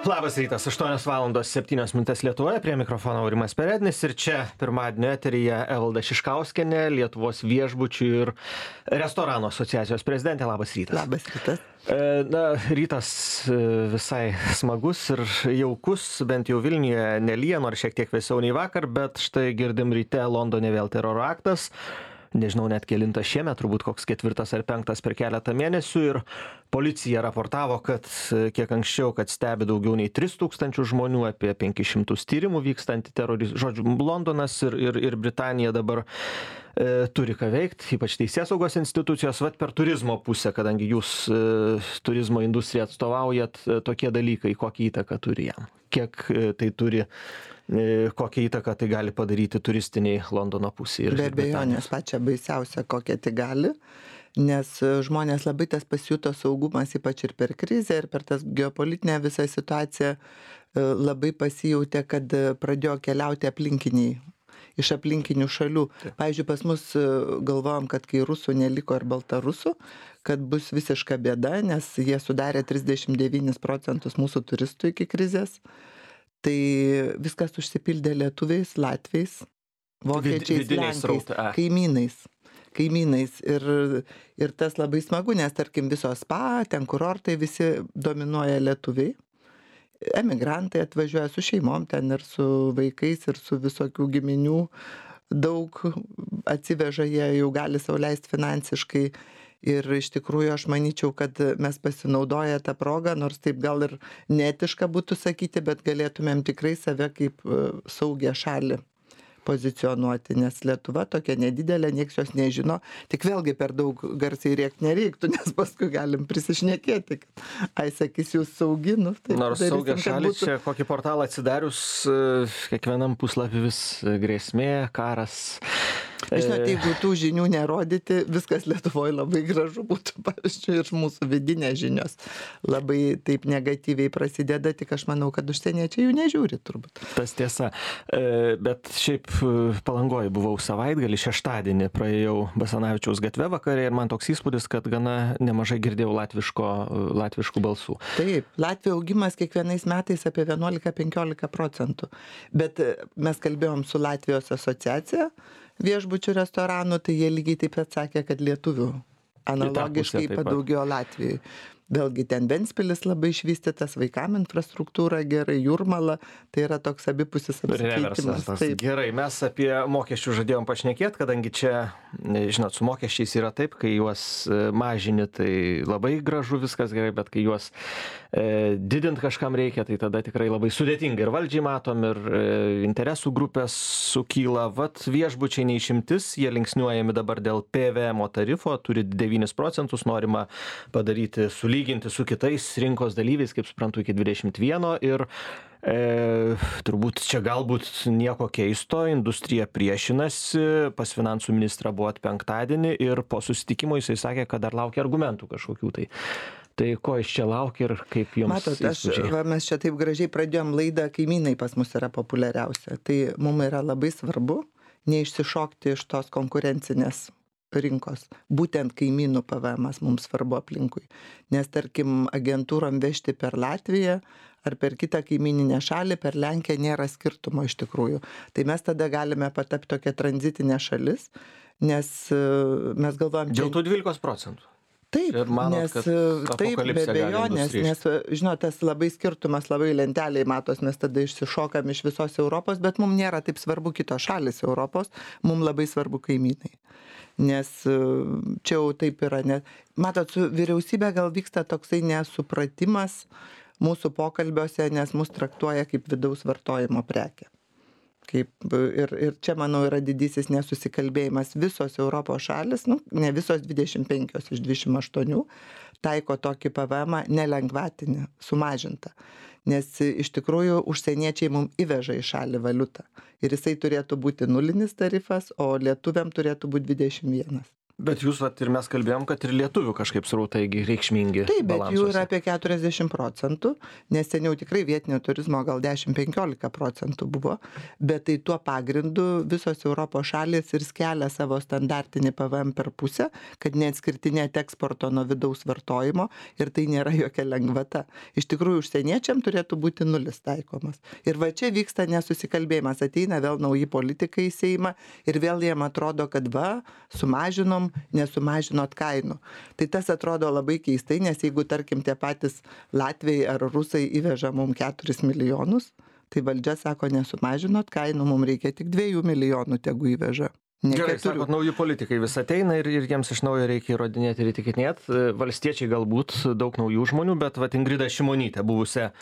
Labas rytas, 8:07 Lietuvoje, prie mikrofono Aurimas Perednis ir čia pirmadienio eteryje Evalda Šiškauskienė, Lietuvos viešbučių ir restoranų asociacijos prezidentė. Labas rytas. Labas rytas. Rytas visai smagus ir jaukus, bent jau Vilniuje nelyja, nors šiek tiek vėsiau nei vakar, bet štai girdim ryte Londone vėl teroro aktas. Nežinau net kelintas šiemet, turbūt koks 4. ar 5. per keletą mėnesių ir policija raportavo, kad kiek anksčiau, kad stebi daugiau nei 3000 žmonių, apie 500 tyrimų vyksta antiterorizmo. Žodžiu, Londonas ir Britanija dabar turi ką veikti, ypač teisėsaugos institucijos, vat per turizmo pusę, kadangi jūs turizmo industriją atstovaujat, tokie dalykai, kokią įtaką turi jam, kiek tai turi, kokią įtaką tai gali padaryti turistiniai Londono pusėje. Be abejonės pačia baisiausia, kokia tai gali, nes žmonės labai tas pasijuto saugumas, ypač ir per krizę, ir per tas geopolitinę visą situaciją labai pasijautė, kad pradėjo keliauti aplinkiniai, iš aplinkinių šalių. Pavyzdžiui, pas mus galvojom, kad kai rusų neliko ir baltarusų, kad bus visiška bėda, nes jie sudarė 39% mūsų turistų iki krizės. Tai viskas užsipildė lietuviais, latviais, vokiečiais, lenkais, kaimynais. Ir tas labai smagu, nes tarkim visos spa, ten kurortai visi dominuoja lietuviai. Emigrantai atvažiuoja su šeimom ten ir su vaikais ir su visokių giminių. Daug atsiveža, jie jau gali sau leisti finansiškai. Ir iš tikrųjų aš manyčiau, kad mes pasinaudoję tą progą, nors taip gal ir neetiška būtų sakyti, bet galėtumėm tikrai save kaip saugią šalį pozicionuoti, nes Lietuva tokia nedidelė, nieks jos nežino, tik vėlgi per daug garsiai rėkti nereiktų, nes paskui galim prisišnekėti, kad sakys jūs sauginu. Nors saugią šalį čia kokį portalą atsidarius, kiekvienam puslapį vis grėsmė, karas. Žinote, jeigu tų žinių nerodyti, viskas Lietuvoje labai gražu būtų, pavyzdžiui, ir mūsų vidinės žinios labai taip negatyviai prasideda, tik aš manau, kad užsieniečiai jų nežiūri turbūt. Tas tiesa, bet šiaip Palangoje buvau savaitgalį, šeštadienį praėjau Basanavičiaus gatve vakare ir man toks įspūdis, kad gana nemažai girdėjau latviškų balsų. Taip, Latvijos augimas kiekvienais metais apie 11-15%, bet mes kalbėjom su Latvijos asociacija viešbučių restoranų, tai jie lygiai taip pat sakė, kad lietuvių analogiškai padaugėjo Latvijai. Vėlgi ten Ventspilis labai išvystytas, vaikam infrastruktūra gerai, Jūrmala, tai yra toks abipusis apsikeitimas. Gerai, mes apie mokesčių žadėjom pašnekėti, kadangi čia, žinot, su mokesčiais yra taip, kai juos mažini, tai labai gražu viskas gerai, bet kai juos didint kažkam reikia, tai tada tikrai labai sudėtinga. Ir valdžiai matom, ir interesų grupės sukyla. Vat viešbučiai neišimtis, jie linksniuojami dabar dėl PVM tarifo, turi 9%, norima padaryti sulyginti su kitais rinkos dalyviais, kaip suprantu, iki 21 ir turbūt čia galbūt nieko keisto, industrija priešinasi, pas finansų ministrą buvo penktadienį ir po susitikimo jisai sakė, kad dar laukia argumentų kažkokių tai. Tai ko iš čia laukia ir kaip jums? Matot, mes čia taip gražiai pradėjom laidą, kaimynai pas mus yra populiariausia. Tai mums yra labai svarbu neišsišokti iš tos konkurencinės rinkos. Būtent kaimynų PVM mums svarbu aplinkui. Nes tarkim agentūrom vežti per Latviją ar per kitą kaimyninę šalį, per Lenkiją nėra skirtumo iš tikrųjų. Tai mes tada galime patapti tokia tranzitinė šalis, nes mes galvojam... Dėl tų 12%. Taip, manot, nes taip, be abejonės, nes, žinot, tas labai skirtumas, labai lenteliai matos, mes tada išsišokam iš visos Europos, bet mums nėra taip svarbu kitos šalis Europos, mums labai svarbu kaimynai. Nes čia jau taip yra, matot, su vyriausybė gal vyksta toksai nesupratimas mūsų pokalbiuose, nes mus traktuoja kaip vidaus vartojimo prekė. Ir čia, manau, yra didysis nesusikalbėjimas. Visos Europos šalis, ne visos 25 iš 28, taiko tokį PVM nelengvatinį, sumažintą. Nes iš tikrųjų užsieniečiai mums įveža į šalį valiutą. Ir jisai turėtų būti nulinis tarifas, o lietuviam turėtų būti 21. Bet jūs vat ir mes kalbėjom, kad ir lietuvių kažkaip srautai reikšmingi. Taip, bet jų balansuose. yra apie 40%, nes seniau tikrai vietinio turizmo gal 10-15% buvo, bet tai tuo pagrindu visos Europos šalys ir skelia savo standartinį PVM per pusę, kad neatskirtinėti eksporto nuo vidaus vartojimo ir tai nėra jokia lengvata. Iš tikrųjų, užsieniečiam turėtų būti nulis taikomas. Ir va čia vyksta nesusikalbėjimas, ateina vėl nauji politikai į Seimą ir vėl jiem atrodo, kad va, sumažinom, nesumažinot kainų. Tai tas atrodo labai keistai, nes jeigu, tarkim, tie patys latviai ar rusai įveža mums 4 milijonus, tai valdžia sako, nesumažinot kainų, mums reikia tik 2 milijonų, tegu įveža. Gerai, sakot, nauji politikai vis ateina ir jiems iš naujo reikia įrodinėti ir įtikinėti. Valstiečiai galbūt daug naujų žmonių, bet vat Ingrida Šimonytė, buvusią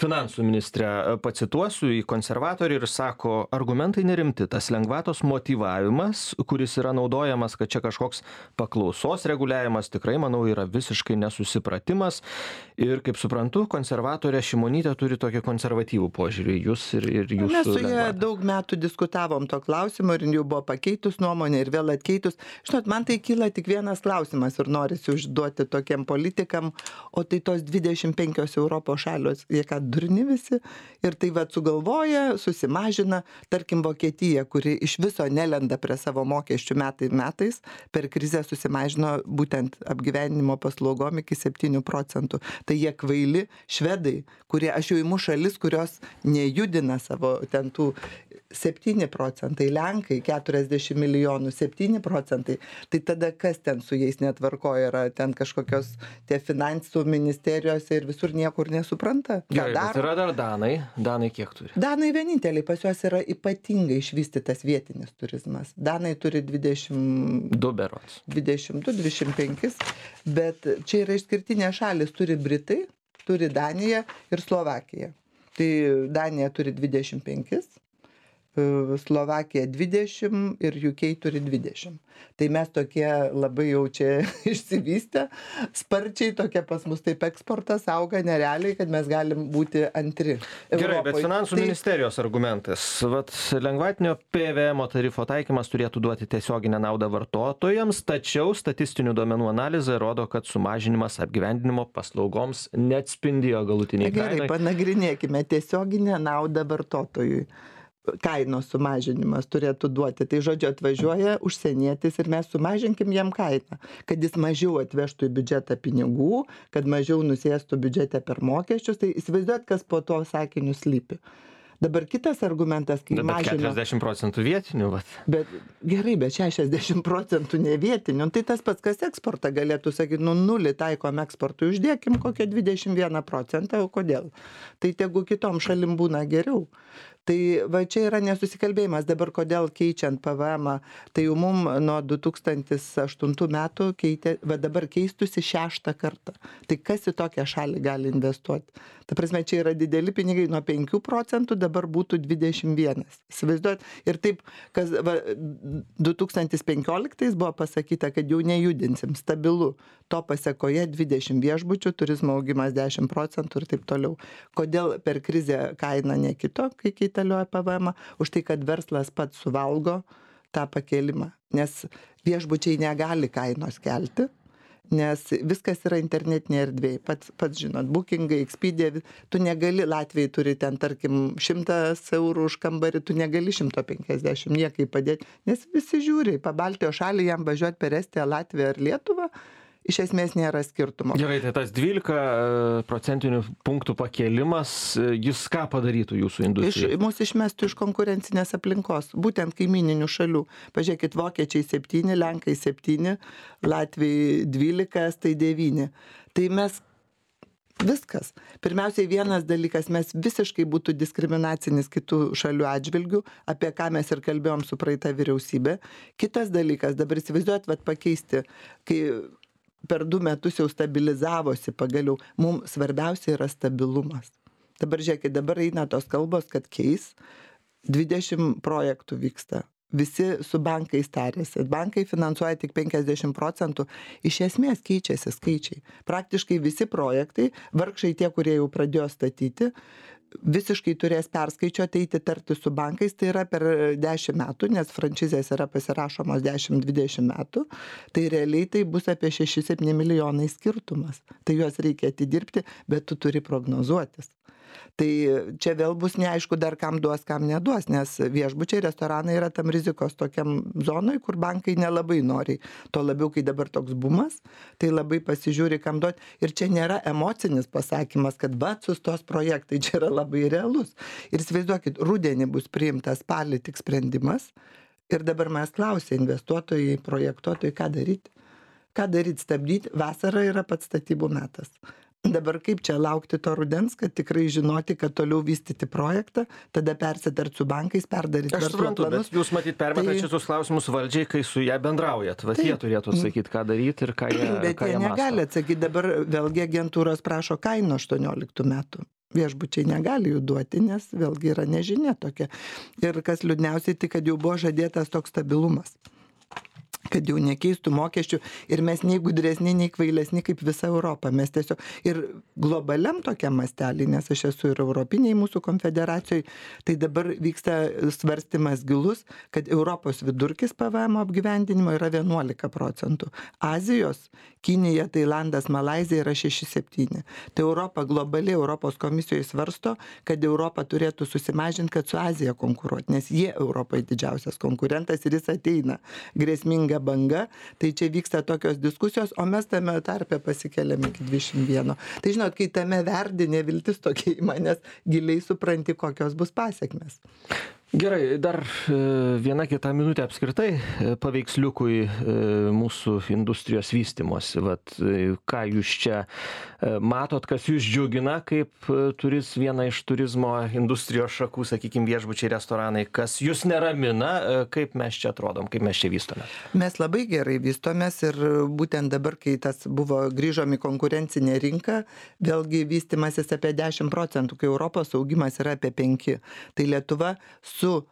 finansų ministrę, pacituosiu, į konservatorių ir sako, argumentai nerimti, tas lengvatos motyvavimas, kuris yra naudojamas, kad čia kažkoks paklausos reguliavimas, tikrai, manau, yra visiškai nesusipratimas. Ir, kaip suprantu, konservatorė Šimonytė turi tokį konservatyvų požiūrį, jūs ir jūsų. Mes su jie daug metų diskutavom to klausimo ir jau buvo pakeitus nuomonę ir vėl atkeitus. Žinot, man tai kyla tik vienas klausimas ir norisi užduoti tokiem politikam, o tai tos 25 Europos šalios, jie ką durni visi, ir tai va sugalvoja, susimažina, tarkim Vokietija, kuri iš viso nelenda prie savo mokesčių metais, per krizę susimažino būtent apgyvenimo paslaugom iki 7%. Tai jie kvaili švedai, kurie, aš jau imu šalis, kurios nejudina savo ten tų 7%, Lenkai 40 milijonų, 7%. Tai tada kas ten su jais netvarkoja, yra ten kažkokios tie finansų ministerijose ir visur niekur nesupranta. Gerai, bet yra dar Danai. Danai kiek turi? Danai vieninteliai, pas juos yra ypatingai išvystytas vietinis turizmas. Danai turi 22 berods. 25, bet čia yra išskirtinė šalis, turi Britai, turi Danija ir Slovakija. Tai Danija turi 25. Slovakija 20 ir UK turi 20. Tai mes tokie labai jau čia išsivystę, sparčiai tokia pas mus taip eksportas auga nerealiai, kad mes galim būti antri. Gerai, bet finansų ministerijos argumentas. Vat lengvatinio PVM tarifo taikymas turėtų duoti tiesioginę naudą vartotojams, tačiau statistinių duomenų analizė rodo, kad sumažinimas apgyvendinimo paslaugoms neatspindėjo galutiniai kainai. Gerai, panagrinėkime tiesioginę naudą vartotojui. Kainos sumažinimas turėtų duoti. Tai žodžiu, atvažiuoja užsienietis ir mes sumažinkim jam kainą, kad jis mažiau atvežtų į biudžetą pinigų, kad mažiau nusėstų biudžete per mokesčius. Tai įsivaizduot, kas po to sakiniu slypi. Dabar kitas argumentas, kai mažina... 40% vietinių, vat. Bet gerai, bet 60% ne vietinių. Tai tas pats, kas eksportą galėtų sakyti, nulį taikom eksportui, uždėkim kokią 21%, o kodėl? Tai tegu kitom šalim būna geriau. Tai va čia yra nesusikalbėjimas. Dabar kodėl keičiant PVM, tai jau mum nuo 2008 metų va dabar keistusi 6 kartą. Tai kas į tokią šalį gali investuoti? Ta prasme, čia yra dideli pinigai, nuo 5% dabar būtų 21. Įsivaizduot? Ir taip, kas va, 2015 buvo pasakyta, kad jau nejudinsim, stabilu. To pasekoje 20 viešbučių, turizmo augimas 10% ir taip toliau. Kodėl per krizę kaina nekito, kai keitalioja PVM? Už tai, kad verslas pats suvalgo tą pakėlimą. Nes viešbučiai negali kainos kelti, nes viskas yra internetinė erdvėje. Pats žinot, Bookingai, Expedia, tu negali, Latvijai turi ten, tarkim, 100 eurų už kambarį, tu negali 150 niekai padėti, nes visi žiūri, pa Baltijos šalį jam važiuoti per Estiją, Latviją ar Lietuvą, iš esmės nėra skirtumo. Gerai, tai tas 12 procentinių punktų pakėlimas, jis ką padarytų jūsų industrijai? Mūsų išmestų iš konkurencinės aplinkos, būtent kaimininių šalių. Pažiūrėkit, vokiečiai 7, lenkai 7, Latvijai 12, estai 9. Tai mes viskas. Pirmiausiai vienas dalykas, mes visiškai būtų diskriminacinis kitų šalių atžvilgių, apie ką mes ir kalbėjom su praeita vyriausybė. Kitas dalykas, dabar įsivaizduojat, pakeisti, kai per 2 metus jau stabilizavosi pagaliau, mums svarbiausia yra stabilumas. Dabar žiūrėkit, dabar eina tos kalbos, kad keis, 20 projektų vyksta. Visi su bankais tarėsi. Bankai finansuoja tik 50%. Iš esmės keičiasi skaičiai. Praktiškai visi projektai, vargšai tie, kurie jau pradėjo statyti, visiškai turės perskaičiuoti, eiti tarti su bankais, tai yra per 10 metų, nes frančizės yra pasirašomos 10-20 metų, tai realiai tai bus apie 6-7 milijonai skirtumas. Tai juos reikia atidirbti, bet tu turi prognozuotis. Tai čia vėl bus neaišku dar kam duos, kam neduos, nes viešbučiai, restoranai yra tam rizikos tokiam zonoj, kur bankai nelabai nori. To labiau, kai dabar toks bumas, tai labai pasižiūri, kam duoti. Ir čia nėra emocinis pasakymas, kad sustos projektai, čia yra labai realus. Ir įsivaizduokit, rudenį bus priimtas spalį tik sprendimas ir dabar mes klausė investuotojai, projektuotojai, ką daryti. Ką daryti, stabdyti, vasara yra pats statybų metas. Dabar kaip čia laukti to rudens, kad tikrai žinoti, kad toliau vystyti projektą, tada persitart su bankais, perdaryti verslo planus. Bet jūs matyt permetat šitus klausimus valdžiai, kai su ją bendraujat. Vat jie turėtų atsakyti, ką daryti ir ką jie mąsto. Bet jie negali atsakyti. Dabar vėlgi agentūros prašo kainų 18 metų. Viešbučiai negali jų duoti, nes vėlgi yra nežinia tokia. Ir kas liūdniausiai, tai kad jau buvo žadėtas toks stabilumas, kad jau nekeistų mokesčių ir mes nei gudresni, nei kvailesni kaip visa Europa. Mes tiesiog ir globaliam tokiam mastelį, nes aš esu ir Europiniai mūsų konfederacijai, tai dabar vyksta svarstymas gilus, kad Europos vidurkis PVM apgyvendinimo yra 11%. Azijos, Kinija, Tailandas, Malaizija yra 6-7. Tai Europa globaliai Europos komisijoje svarsto, kad Europa turėtų susimažinti, kad su Azija konkuruoti, nes jie Europai didžiausias konkurentas ir jis ateina grėsminga banga, tai čia vyksta tokios diskusijos, o mes tame tarpe pasikeliam iki 21. Tai žinot, kai tame verdi neviltis tokia į manęs, giliai supranti, kokios bus pasiekmes. Gerai, dar viena kita minutė apskritai paveiksliukui mūsų industrijos vystymosi. Vat, ką jūs čia matot, kas jūs džiugina, kaip viena iš turizmo industrijos šakų, sakykime, viešbučiai, restoranai, kas jūs neramina, kaip mes čia atrodom, kaip mes čia vystome? Mes labai gerai vystomės ir būtent dabar, kai tas buvo grįžom į konkurencinę rinką, vėlgi vystimasis apie 10%, kai Europos augimas yra apie 5%. Tai Lietuva su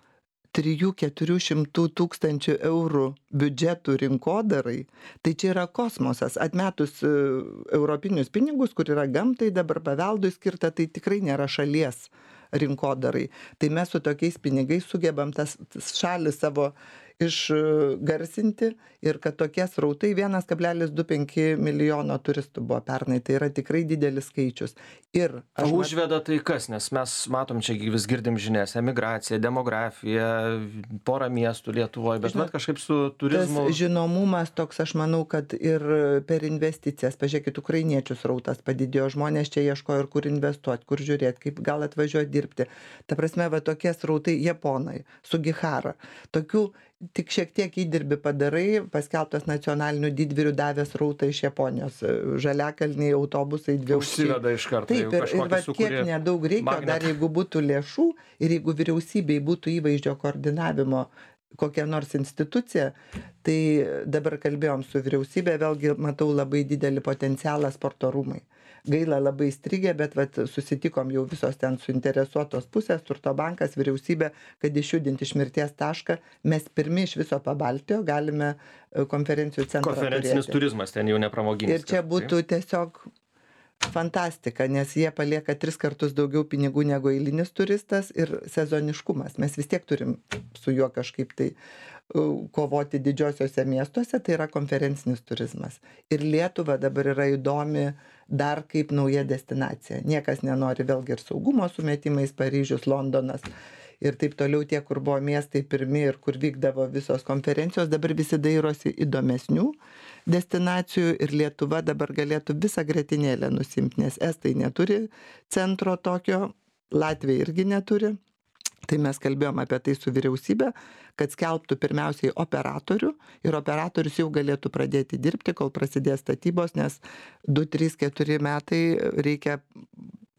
300-400 tūkstančių eurų biudžetų rinkodarai, tai čia yra kosmosas. Atmetus europinius pinigus, kur yra gamtai, dabar paveldui skirta, tai tikrai nėra šalies rinkodarai. Tai mes su tokiais pinigais sugebam tas šalį savo išgarsinti ir kad tokie srautai 1,25 milijono turistų buvo pernai, tai yra tikrai didelis skaičius. Ir užveda tai kas, nes mes matom čia vis girdim žinias, emigracija, demografija, porą miestų Lietuvoje, bet žinot, kažkaip su turizmu. Tas žinomumas toks, aš manau, kad ir per investicijas, pažiūrėkit, ukrainiečių srautas padidėjo, žmonės čia ieško ir kur investuoti, kur žiūrėti, kaip gal atvažiuoti dirbti. Ta prasme, va tokie srautai Japonai, Sugihara, tokių tik šiek tiek įdirbį padarai, paskelbtas nacionalinių didvyrių davęs rautą iš Japonijos, žaliakalniai autobusai, dviaukščiai. Užsiveda iš karto. Taip, ir va kiek nedaug reikia, dar jeigu būtų lėšų ir jeigu vyriausybei būtų įvaizdžio koordinavimo kokia nors institucija, tai dabar kalbėjom su vyriausybė, vėlgi matau labai didelį potencialą sporto rūmai. Gaila labai strigė, bet susitikom jau visos ten suinteresuotos pusės, Turto bankas, vyriausybė, kad išjudinti iš mirties tašką, mes pirmi iš viso Pabaltijo galime konferencijų centrą turėti. Konferencinis turizmas ten jau nepramoginis. Ir čia būtų tiesiog fantastika, nes jie palieka 3 kartus daugiau pinigų negu eilinis turistas ir sezoniškumas. Mes vis tiek turim su juo kažkaip tai kovoti didžiosiuose miestuose, tai yra konferencinis turizmas. Ir Lietuva dabar yra įdomi dar kaip nauja destinacija. Niekas nenori, vėlgi ir saugumo sumetimais, Paryžius, Londonas ir taip toliau, tie, kur buvo miestai pirmi ir kur vykdavo visos konferencijos, dabar visi dairosi įdomesnių destinacijų ir Lietuva dabar galėtų visą grietinėlę nusimti, nes estai neturi centro tokio, Latvija irgi neturi. Tai mes kalbėjom apie tai su vyriausybė, kad skelbtų pirmiausiai operatorių ir operatorius jau galėtų pradėti dirbti, kol prasidės statybos, nes 2, 3, 4 metai reikia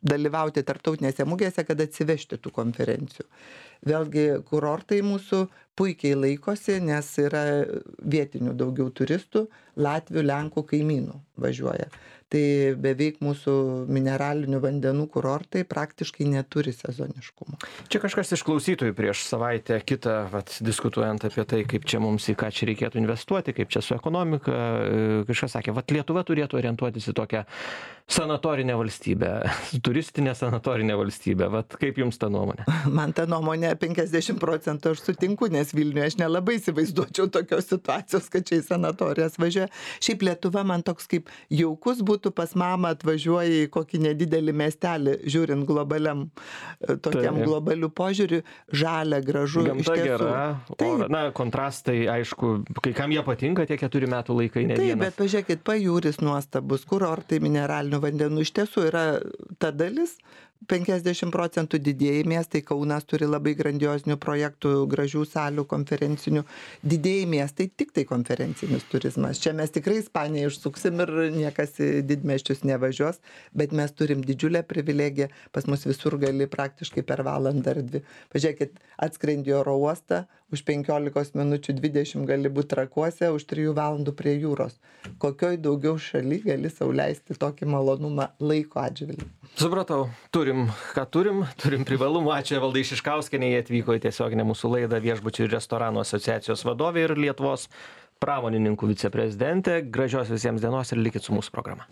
dalyvauti tarptautinėse mugėse, kad atsivežti tų konferencijų. Vėlgi kurortai mūsų puikiai laikosi, nes yra vietinių daugiau turistų, Latvių, Lenkų kaimynų važiuoja. Tai beveik mūsų mineralinių vandenų kurortai praktiškai neturi sezoniškumo. Čia kažkas iš klausytojų prieš savaitę kitą, diskutuojant apie tai, kaip čia mums į ką čia reikėtų investuoti, kaip čia su ekonomika, kažkas sakė, Lietuva turėtų orientuotis į tokią sanatorinę valstybę, turistinę sanatorinę valstybę. Kaip jums ta nuomonė? Man ta nuomonė 50% aš sutinku, nes Vilniuje aš nelabai įsivaizduočiau tokios situacijos, kad čia į sanatorijas važiuoja. Šiaip Lietuva man toks kaip jaukus būtų pas mamą atvažiuoja į kokį nedidelį miestelį, žiūrint globaliam, tokiam globalių požiūrių, žalia, gražu. Gamta gera, kontrastai, aišku, kai kam jie patinka tie 4 metų laikai, ne vienas. Taip, bet pažiūrėkit, pajūris nuostabus, kurortai mineralinių vandenų, iš tiesų yra ta dalis, 50% didieji miestai, Kaunas turi labai grandiozinių projektų, gražių salių, konferencinių, didieji miestai tik tai konferencinis turizmas. Čia mes tikrai Ispaniją išsuksim ir niekas į didmiesčius nevažiuos, bet mes turim didžiulę privilegiją, pas mus visur gali praktiškai per valandą ar 2. Pažiūrėkit, atskrendi oro uostą, už 15 minučių 20 gali būti Trakuose, už 3 valandų prie jūros. Kokioj daugiau šaly gali sau leisti tokį malonumą laiko atžvilgiu? Supratau, turim privalumų. Ačiū Evaldai Šiškauskienei, jie atvyko į tiesioginę mūsų laidą, Viešbučių ir restoranų asociacijos vadovė ir Lietuvos pramonininkų viceprezidentė. Gražios visiems dienos ir likit su mūsų programa.